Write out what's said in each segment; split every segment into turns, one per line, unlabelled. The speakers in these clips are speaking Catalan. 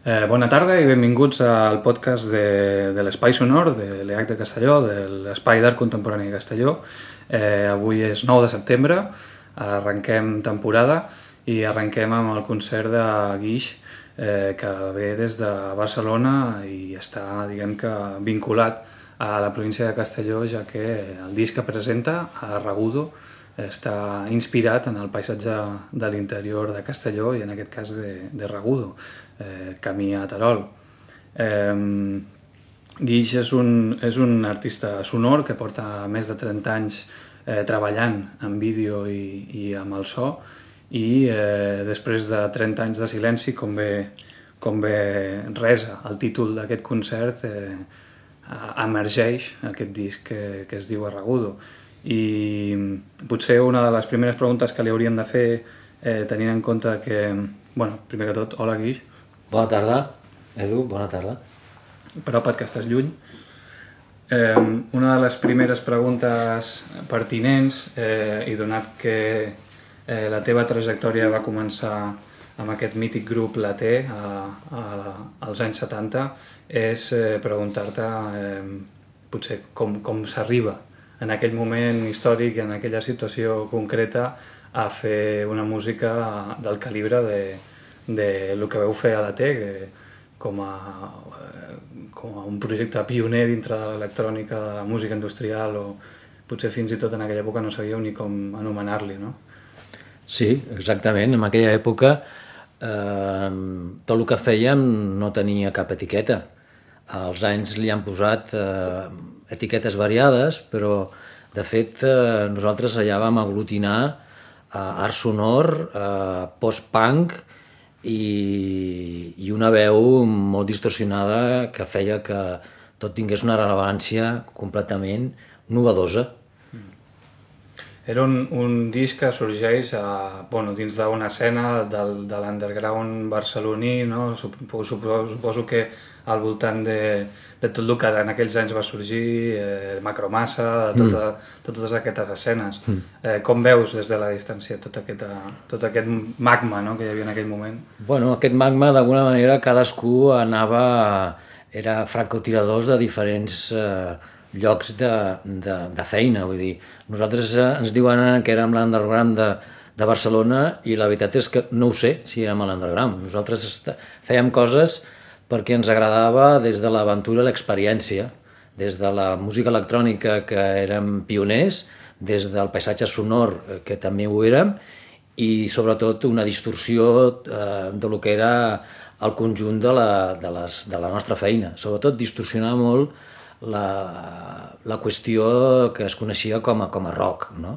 Bona tarda i benvinguts al podcast de l'Espai Sonor de l'EH de Castelló, de l'Espai d'Art Contemporani de Castelló. Avui és 9 de setembre, arrenquem temporada i arrenquem amb el concert de Guix, que ve des de Barcelona i està, diguem que, vinculat a la província de Castelló, ja que el disc que presenta, a Regudo, està inspirat en el paisatge de l'interior de Castelló i en aquest cas de Regudo, camí a Terol. Guix és un artista sonor que porta més de 30 anys treballant en vídeo i amb el so i després de 30 anys de silenci, com bé resa el títol d'aquest concert, emergeix aquest disc que es diu Regudo. I potser una de les primeres preguntes que li hauríem de fer, tenint en compte que, primer que tot, hola Guix.
Bona tarda, Edu, bona tarda.
Preocupa't que estàs lluny. Una de les primeres preguntes pertinents, i donat que la teva trajectòria va començar amb aquest mític grup La T als anys 70, és preguntar-te potser com s'arriba en aquell moment històric i en aquella situació concreta a fer una música del calibre de lo que veu fer a La T, com a un projecte pioner dintre de l'electrònica, de la música industrial, o potser fins i tot en aquella època no sabíeu ni com anomenar-li, no?
Sí, exactament. En aquella època tot el que fèiem no tenia cap etiqueta. Als anys li han posat etiquetes variades, però de fet nosaltres allà vam aglutinar art sonor, post-punk i una veu molt distorsionada que feia que tot tingués una rellevància completament novedosa.
Era un disc que sorgeix dins d'una escena de l'underground barceloní, no? Suposo que al voltant de tot el que en aquells anys va sorgir, Macromassa, totes aquestes escenes. Com veus des de la distància tot aquest magma, no?, que hi havia en aquell moment?
Bueno, aquest magma, d'alguna manera, cadascú era francotiradors de diferents llocs de feina, vull dir, nosaltres ens diuen que érem l'underground de Barcelona i la veritat és que no ho sé si érem a l'underground. Nosaltres fèiem coses perquè ens agradava des de l'aventura i l'experiència, des de la música electrònica que érem pioners, des del paisatge sonor que també ho érem i sobretot una distorsió de lo que era el conjunt de la nostra feina. Sobretot distorsionar molt la qüestió que es coneixia com a rock, no?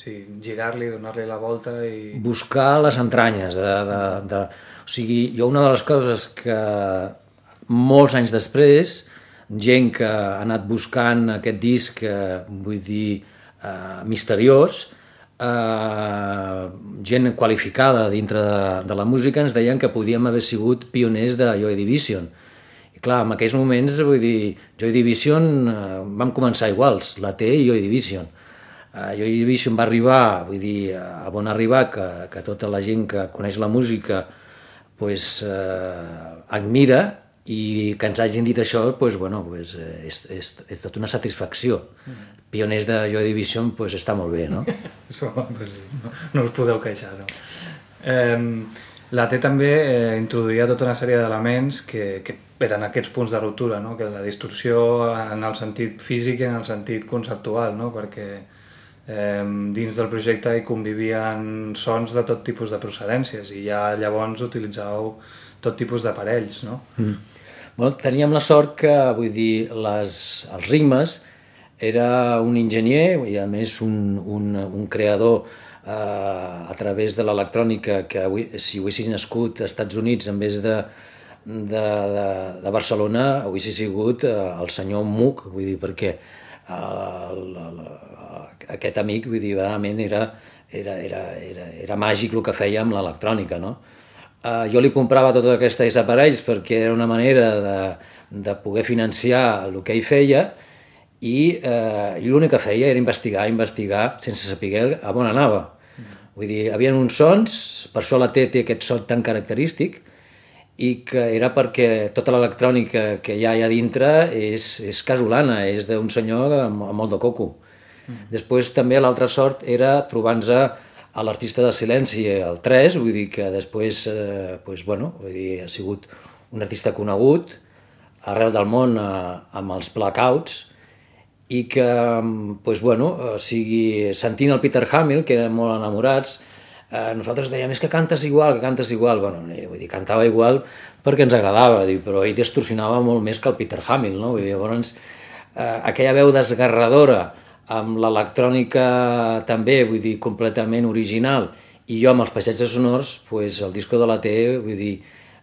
Sí, girar-li, donar-li la volta i...
Buscar les entranyes. O sigui, jo una de les coses que molts anys després, gent que ha anat buscant aquest disc, vull dir, misteriós, gent qualificada dintre de la música ens deien que podíem haver sigut pioners de Joy Division. Clar, en aquells moments, vull dir, Joy Division vam començar iguals, La T i Joy Division. Joy Division va arribar, vull dir, a on arribar, que tota la gent que coneix la música admira, i que ens hagin dit això, és tot una satisfacció. Pioners de Joy Division, està molt bé, no?
No us podeu queixar, no? La T també introduïa tota una sèrie d'elements que eren aquests punts de ruptura, no? Que la distorsió en el sentit físic i en el sentit conceptual, no? Perquè dins del projecte hi convivien sons de tot tipus de procedències i ja llavors utilitzàveu tot tipus d'aparells, no?
Bueno, teníem la sort que, vull dir, els ritmes era un enginyer i a més un creador a través de l'electrònica que si haguessis nascut als Estats Units en vez de Barcelona haguessis sigut el senyor Moog, vull dir, perquè aquest amic, vull dir, realment era màgic el que feia amb l'electrònica, no? Jo li comprava tots aquests aparells perquè era una manera de poder financiar el que ell feia i l'únic que feia era investigar sense saber a on anava. Vull dir, hi havia uns sons, per això la T té aquest so tan característic, i que era perquè tota l'electrònica que hi ha allà dintre és casolana, és d'un senyor amb molt de coco. Després també l'altra sort era trobar-nos a l'artista de silenci, el 3, vull dir que després ha sigut un artista conegut arreu del món amb els Blackouts, i que, sentint el Peter Hamill, que eren molt enamorats, nosaltres dèiem, és que cantes igual. Vull dir, cantava igual perquè ens agradava, però ell distorsionava molt més que el Peter Hamill, no? Vull dir, llavors, aquella veu desgarradora, amb l'electrònica també, vull dir, completament original, i jo amb els paisatges sonors, el disco de la T, vull dir,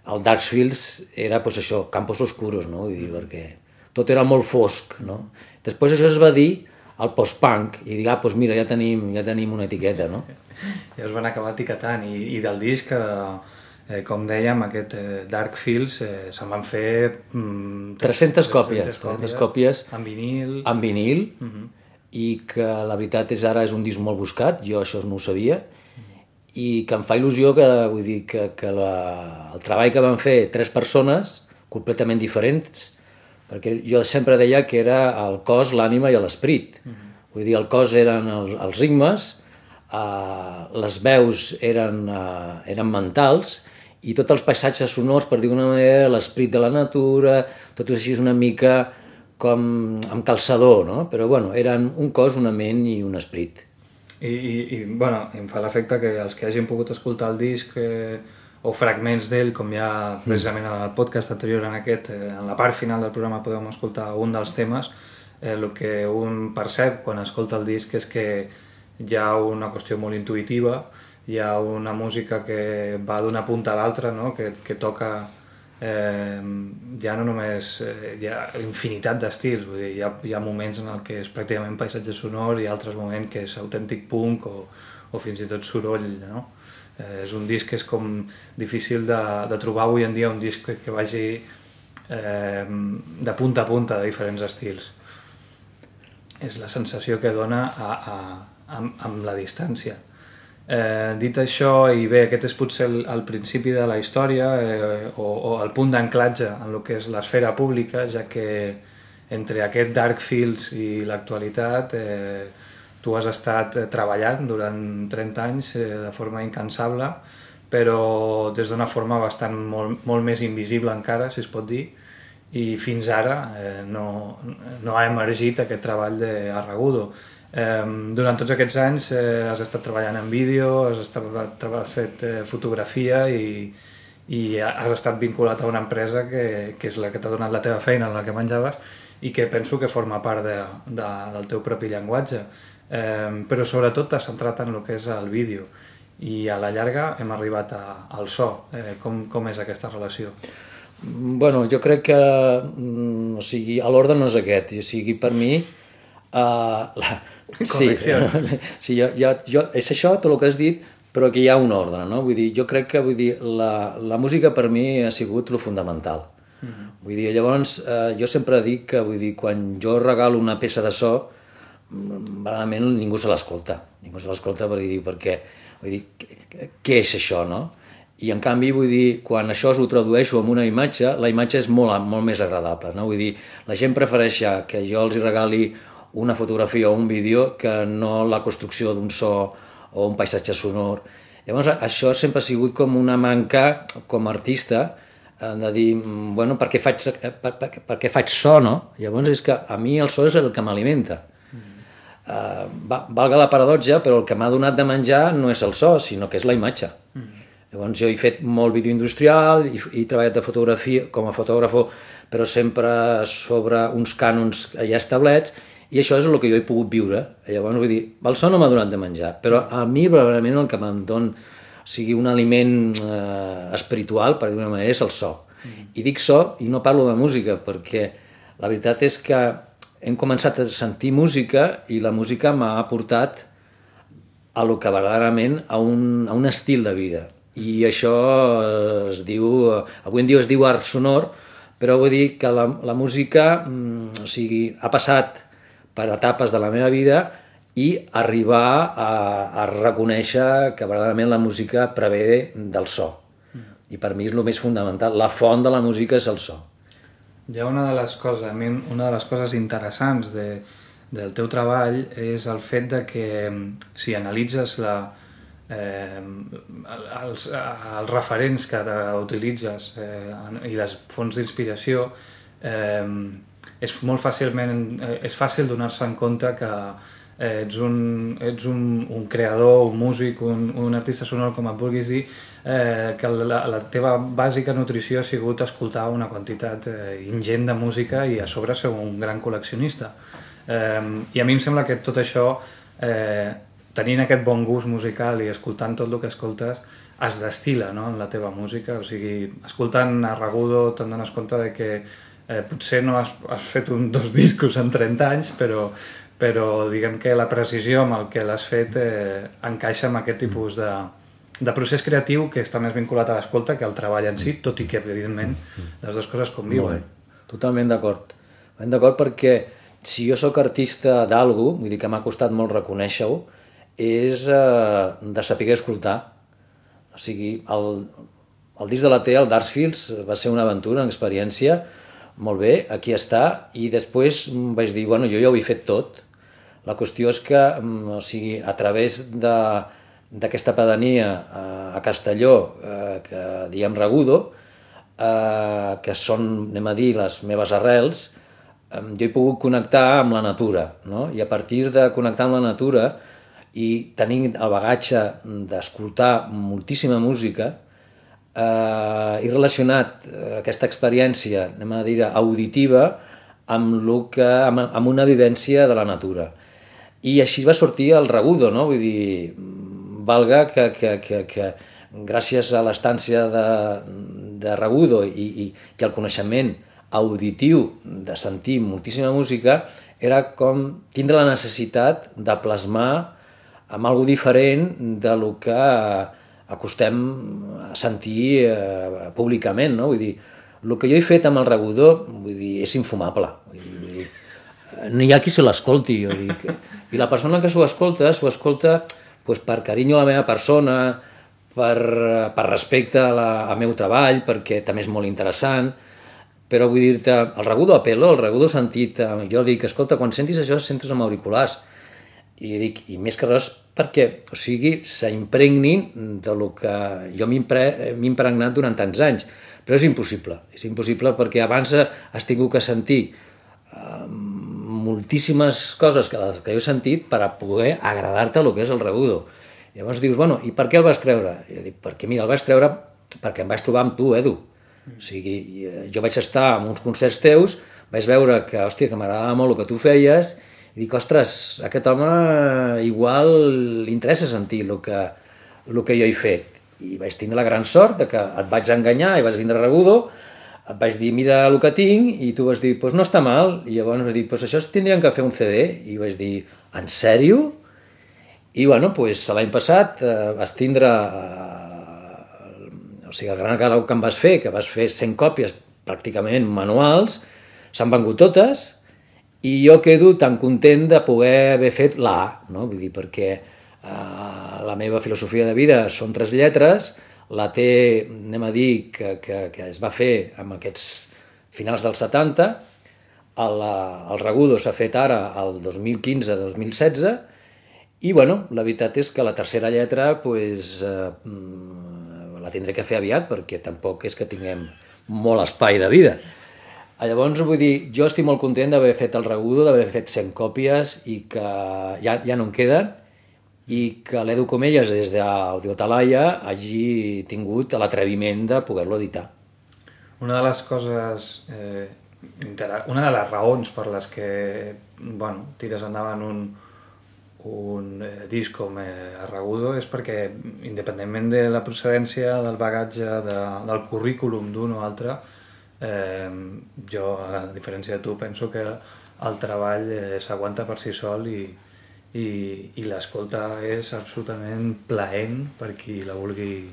el Darkfields era, això, campos oscuros, no? Vull dir, perquè tot era molt fosc, no? Després això es va dir al post-punk, i dir, mira, ja tenim una etiqueta, no?
Ja es van acabar etiquetant, i del disc, com dèiem, aquest Darkfields, se'n van fer
300 còpies
en vinil,
i que la veritat ara és un disc molt buscat, jo això no ho sabia, i que em fa il·lusió que el treball que van fer 3 persones completament diferents, perquè jo sempre deia que era el cos, l'ànima i l'esperit. Vull dir, el cos eren els ritmes, les veus eren mentals, i tots els paisatges sonors, per dir d'una manera, l'esperit de la natura, tot així és una mica com amb calçador, no? Però eren un cos, una ment i un esperit.
I em fa l'efecte que els que hagin pogut escoltar el disc o fragments d'ell, com ja precisament en el podcast anterior en la part final del programa podem escoltar un dels temes, el que un percep quan escolta el disc és que hi ha una qüestió molt intuïtiva, hi ha una música que va d'una punta a l'altra, no? que toca ja no només hi ha infinitat d'estils, vull dir, hi ha moments en què és pràcticament paisatge sonor i altres moments que és autèntic punk o fins i tot soroll, no? És un disc que és com difícil de trobar avui en dia, un disc que vagi de punta a punta de diferents estils. És la sensació que dona amb la distància. Dit això, i bé, aquest és potser el principi de la història o el punt d'anclatge en el que és l'esfera pública, ja que entre aquest Darkfields i l'actualitat tu has estat treballant durant 30 anys de forma incansable, però des d'una forma bastant molt més invisible encara, si es pot dir, i fins ara no ha emergit aquest treball d'Arragudo. Durant tots aquests anys has estat treballant en vídeo, has fet fotografia i has estat vinculat a una empresa que és la que t'ha donat la teva feina, en la que menjaves, i que penso que forma part del teu propi llenguatge. Però sobretot t'has centrat en el que és el vídeo, i a la llarga hem arribat al so. Com és aquesta relació?
Jo crec que l'ordre no és aquest, per mi sí, és això tot el que has dit, però que hi ha un ordre, no? Vull dir, jo crec que la música per mi ha sigut lo fundamental. Vull dir, llavors jo sempre dic que quan jo regalo una peça de so, realment ningú se l'escolta perquè què és això, no? I en canvi, quan això ho tradueixo en una imatge, la imatge és molt més agradable, no? Vull dir, la gent prefereix que jo els regali una fotografia o un vídeo que no la construcció d'un so o un paisatge sonor. Llavors, això sempre ha sigut com una manca, com a artista, de dir, per què faig so, no? Llavors és que a mi el so és el que m'alimenta. Valga la paradoxa, però el que m'ha donat de menjar no és el so, sinó que és la imatge. Llavors jo he fet molt vídeo industrial, he treballat de fotografia com a fotògrafo, però sempre sobre uns cànons ja establerts, i això és el que jo he pogut viure. Llavors vull dir, el so no m'ha donat de menjar, però a mi probablement el que me'n dona, un aliment espiritual, per dir-ho d'una manera, és el so. I dic so i no parlo de música, perquè la veritat és que hem començat a sentir música i la música m'ha portat a lo que verdaderament a un estil de vida. I això es diu, avui en dia es diu art sonor, però vull dir que la música ha passat per etapes de la meva vida i arribar a reconèixer que verdaderament la música prevé del so. I per mi és el més fundamental. La font de la música és el so.
Hi ha una de les coses interessants del teu treball és el fet de que si analitzes els referents que utilitzes i les fonts d'inspiració, és fàcil donar-se en compte que ets un creador, un músic, un artista sonor, com et vulguis dir, que la teva bàsica nutrició ha sigut escoltar una quantitat ingent de música i a sobre ser un gran col·leccionista. I a mi em sembla que tot això, tenint aquest bon gust musical i escoltant tot el que escoltes, es destila, no?, en la teva música. O sigui, escoltant a Ragudo te'n dones compte de que potser no has fet dos discos en 30 anys, però diguem que la precisió amb el que l'has fet encaixa amb aquest tipus de procés creatiu que està més vinculat a l'escolta que al treball en si, tot i que, evidentment, les dues coses conviuen.
Totalment d'acord. Totalment d'acord, perquè si jo sóc artista d'algú, vull dir que m'ha costat molt reconèixer-ho, és de saber escoltar. O sigui, el disc de la T, el Darksfields, va ser una aventura, una experiència, molt bé, aquí està, i després vaig dir, bueno, jo ja ho he fet tot. La qüestió és que, o sigui, a través d'aquesta pedania a Castelló, que diem Ragudo, que són, anem a dir, les meves arrels, jo he pogut connectar amb la natura, no? I a partir de connectar amb la natura i tenint el bagatge d'escoltar moltíssima música, he relacionat aquesta experiència, anem a dir, auditiva amb una vivència de la natura. I així va sortir el Ragudo, no? Vull dir, valga que gràcies a l'estància de Ragudo i al coneixement auditiu de sentir moltíssima música, era com tindre la necessitat de plasmar amb algo diferent de lo que acostem a sentir públicament, no? Vull dir, el que jo he fet amb el Ragudo, vull dir, és infumable. Vull dir, no hi ha qui se l'escolti, jo dic. I la persona que s'ho escolta pues, per carinyo a la meva persona, per respecte al meu treball, perquè també és molt interessant, però vull dir-te, el Ragudo a pelo, el Ragudo sentit, jo dic, escolta, quan sentis això, sentes amb auriculars. I dic, i més que res perquè, o sigui, s'impregnin de lo que jo m'he impregnat durant tants anys. Però és impossible perquè abans has tingut que sentir moltíssimes coses que jo he sentit per a poder agradar-te el que és el Ragudo. Llavors dius, bueno, i per què el vas treure? Jo dic, perquè mira, el vaig treure perquè em vaig trobar amb tu, Edu. O sigui, jo vaig estar en uns concerts teus, vaig veure que, hòstia, que m'agradava molt el que tu feies, i dic, ostres, a aquest home igual li interessa sentir el que jo he fet. I vaig tindre la gran sort de que et vaig enganyar i vas vindre a Ragudo, et vaig dir, mira el que tinc, i tu vas dir, doncs no està mal. I llavors vaig dir, doncs això tindríem que fer un CD. I vaig dir, en sèrio? I bueno, doncs l'any passat vas tindre, o sigui, el gran regal que em vas fer, que vas fer 100 còpies pràcticament manuals, s'han vengut totes, i jo quedo tan content de poder haver fet l'A, no? Vull dir, perquè la meva filosofia de vida són 3 lletres, la T, anem a dir, que es va fer amb aquests finals dels 70, el Ragudo s'ha fet ara, el 2015-2016, i bueno, la veritat és que la tercera lletra pues, la tindré que fer aviat, perquè tampoc és que tinguem molt espai de vida. Llavors, vull dir, jo estic molt content d'haver fet el Ragudo, d'haver fet 100 còpies i que ja no en queden, i que l'Edu Comelles des d'Audio Talaia hagi tingut l'atreviment de poder-lo editar.
Una de les coses, una de les raons per les que tires endavant un disc com Ragudo és perquè, independentment de la procedència, del bagatge, del currículum d'un o altre, jo, a diferència de tu, penso que el treball s'aguanta per si sol i l'escolta és absolutament plaent per qui la vulgui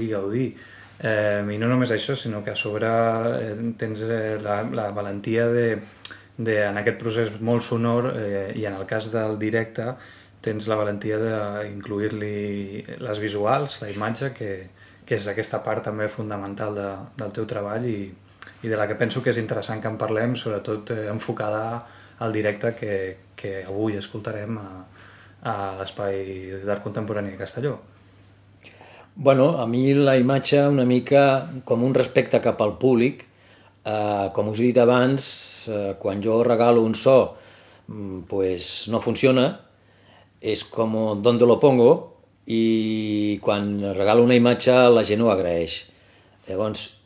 gaudir. I no només això, sinó que a sobre tens la valentia en aquest procés molt sonor i en el cas del directe tens la valentia d'incluir-li les visuals, la imatge, que que és aquesta part també fundamental del teu treball i de la que penso que és interessant que en parlem, sobretot enfocada al directe que avui escoltarem a l'Espai d'Art Contemporani de Castelló.
Bueno, a mi la imatge una mica com un respecte cap al públic. Com us he dit abans, quan jo regalo un so pues no funciona, és com donde lo pongo, i quan regalo una imatge la gent ho agraeix. Llavors,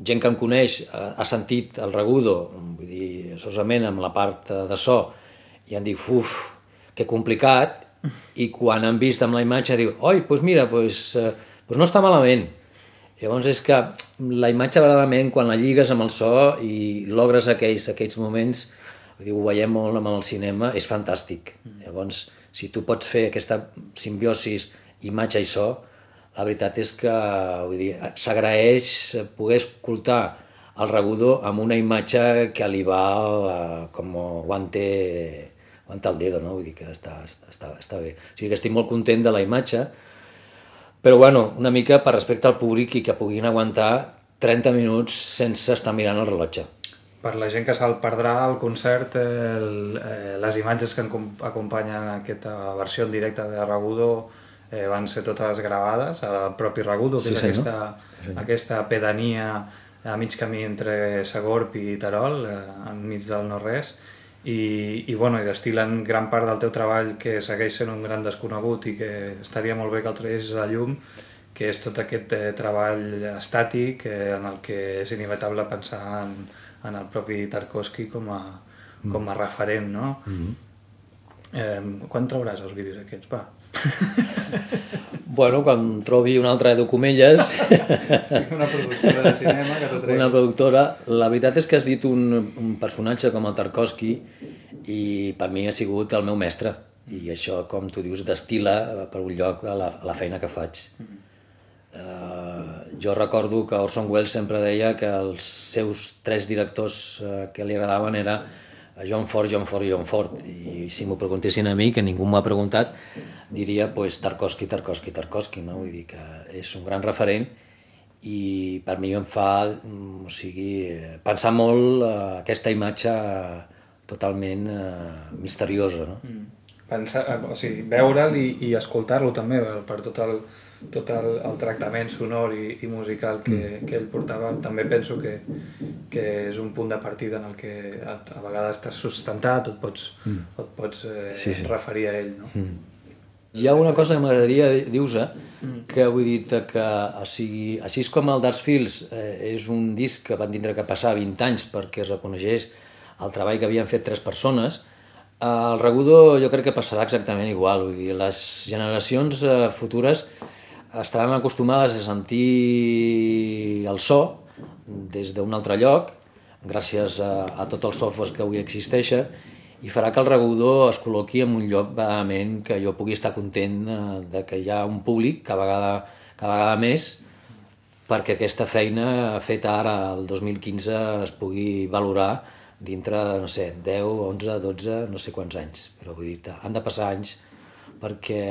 gent que em coneix ha sentit el regudo, vull dir, solament amb la part de so, i em diu, uf, que complicat, i quan han vist amb la imatge diu, oi, doncs mira, no està malament. Llavors és que la imatge verdaderament quan la lligues amb el so i logres aquells moments, ho veiem molt amb el cinema, és fantàstic. Llavors, si tu pots fer aquesta simbiosis imatge i so, la veritat és que s'agraeix poder escoltar el regudo amb una imatge que li va com guante al dedo, no? Vull dir que està bé. O sigui que estic molt content de la imatge, però bueno, una mica per respecte al públic i que puguin aguantar 30 minuts sense estar mirant el rellotge.
Per la gent que se'l perdrà al concert, les imatges que acompanyen aquesta versió en directe de Regudo van ser totes gravades al propi Regudo, que és aquesta pedania a mig camí entre Segorb i Terol, enmig del no-res, i destil·len gran part del teu treball, que segueix sent un gran desconegut i que estaria molt bé que el traguessis a la llum, que és tot aquest treball estàtic en el que és inevitable pensar en el propi Tarkovsky com a referent, no? Quan trauràs els vídeos aquests, va?
Bueno, quan trobi una altra Edu Comelles...
Sí, una productora de cinema que t'ho tregui.
Una productora. La veritat és que has dit un personatge com el Tarkovsky i per mi ha sigut el meu mestre. I això, com tu dius, destila per un lloc a la feina que faig. Jo recordo que Orson Welles sempre deia que els seus 3 directors que li agradaven era John Ford, John Ford i John Ford. I si m'ho preguntessin a mi, que ningú m'ho ha preguntat, diria Tarkovsky, no? Vull dir que és un gran referent i per mi em fa pensar molt aquesta imatge totalment misteriosa, no?
Veure'l i escoltar-lo també per tot el tractament sonor i musical que ell portava. També penso que és un punt de partida en el que a vegades estàs sustentat o et pots referir a ell, no?
Hi ha una cosa que m'agradaria dir-vos, que vull dir que així com el Dark Fields és un disc que van tindre que passar 20 anys perquè es reconeixés el treball que havien fet 3 persones, el Regudo jo crec que passarà exactament igual. Vull dir, les generacions futures estaran acostumades a sentir el so des d'un altre lloc, gràcies a tot el software que avui existeixen, i farà que el Regudo es col·loqui en un lloc verdaderament que jo pugui estar content de que hi ha un públic cada vegada més perquè aquesta feina feta ara el 2015 es pugui valorar dintre de, no sé, 10, 11, 12, no sé quants anys. Però vull dir, han de passar anys perquè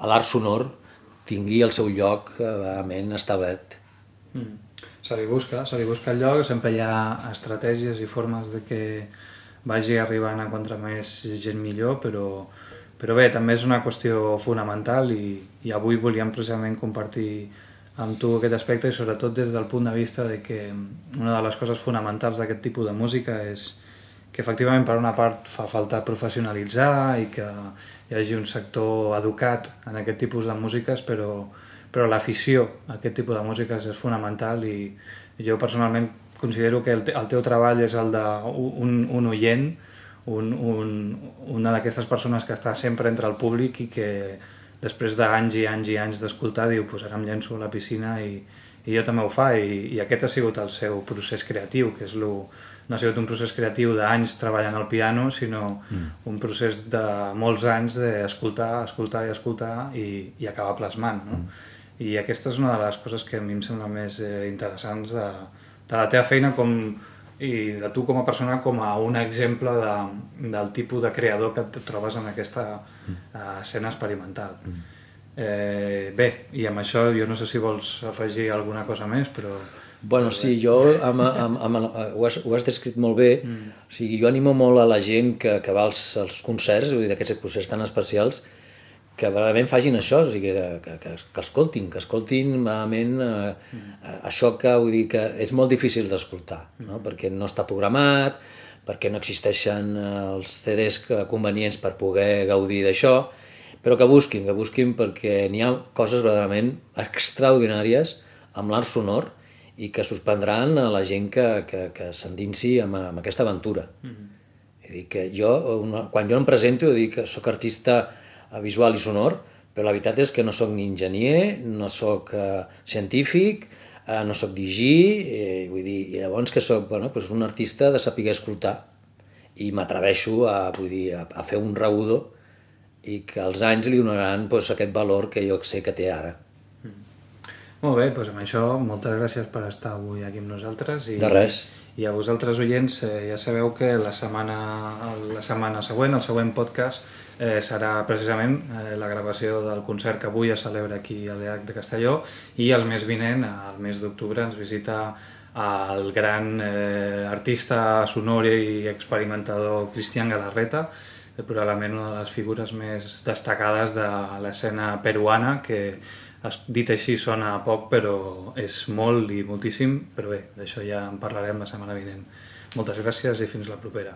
l'art sonor tingui el seu lloc verdaderament establert.
Se li busca el lloc, sempre hi ha estratègies i formes de que vagi arribant a quanta més gent millor, però bé, també és una qüestió fonamental i avui volíem precisament compartir amb tu aquest aspecte i sobretot des del punt de vista de que una de les coses fonamentals d'aquest tipus de música és que efectivament per una part fa falta professionalitzar i que hi hagi un sector educat en aquest tipus de músiques, però l'afició a aquest tipus de músiques és fonamental i jo personalment considero que el teu treball és el d'un oient, una d'aquestes persones que està sempre entre el públic i que després d'anys i anys i anys d'escoltar diu, pues ara em llenço a la piscina i jo també ho fa i aquest ha sigut el seu procés creatiu, que no ha sigut un procés creatiu d'anys treballant al piano, sinó un procés de molts anys d'escoltar, escoltar i escoltar i acabar plasmant, no? I aquesta és una de les coses que a mi em sembla més interessants de la teva feina i de tu com a persona com a un exemple del tipus de creador que et trobes en aquesta escena experimental. Bé, i amb això jo no sé si vols afegir alguna cosa més, però...
Bueno, sí, jo ho has descrit molt bé. O sigui, jo animo molt a la gent que va als concerts, vull dir, d'aquests concerts tan especials, que realment facin això, o sigui, que escoltin realment això que, vull dir, que és molt difícil d'escoltar, no? Perquè no està programat, perquè no existeixen els CDs convenients per poder gaudir d'això, però que busquin perquè n'hi ha coses verdaderament extraordinàries amb l'art sonor i que suspendran a la gent que s'endinsi amb aquesta aventura. És dir, que quan jo em presento, dic que soc artista visual i sonor, però la veritat és que no soc ni enginyer, no soc científic, no soc digí, vull dir, i llavors que soc un artista de saber escoltar i m'atreveixo a fer un rebudo i que els anys li donaran aquest valor que jo sé que té ara.
Molt bé, doncs amb això moltes gràcies per estar avui aquí amb nosaltres.
De res.
I a vosaltres, oients, ja sabeu que la setmana següent, el següent podcast, serà precisament la gravació del concert que avui es celebra aquí a l'EH de Castelló, i el mes vinent, el mes d'octubre, ens visita el gran artista sonor i experimentador Cristian Galarreta, probablement una de les figures més destacades de l'escena peruana, que dit així sona poc, però és molt i moltíssim, però bé, d'això ja en parlarem la setmana vinent. Moltes gràcies i fins la propera.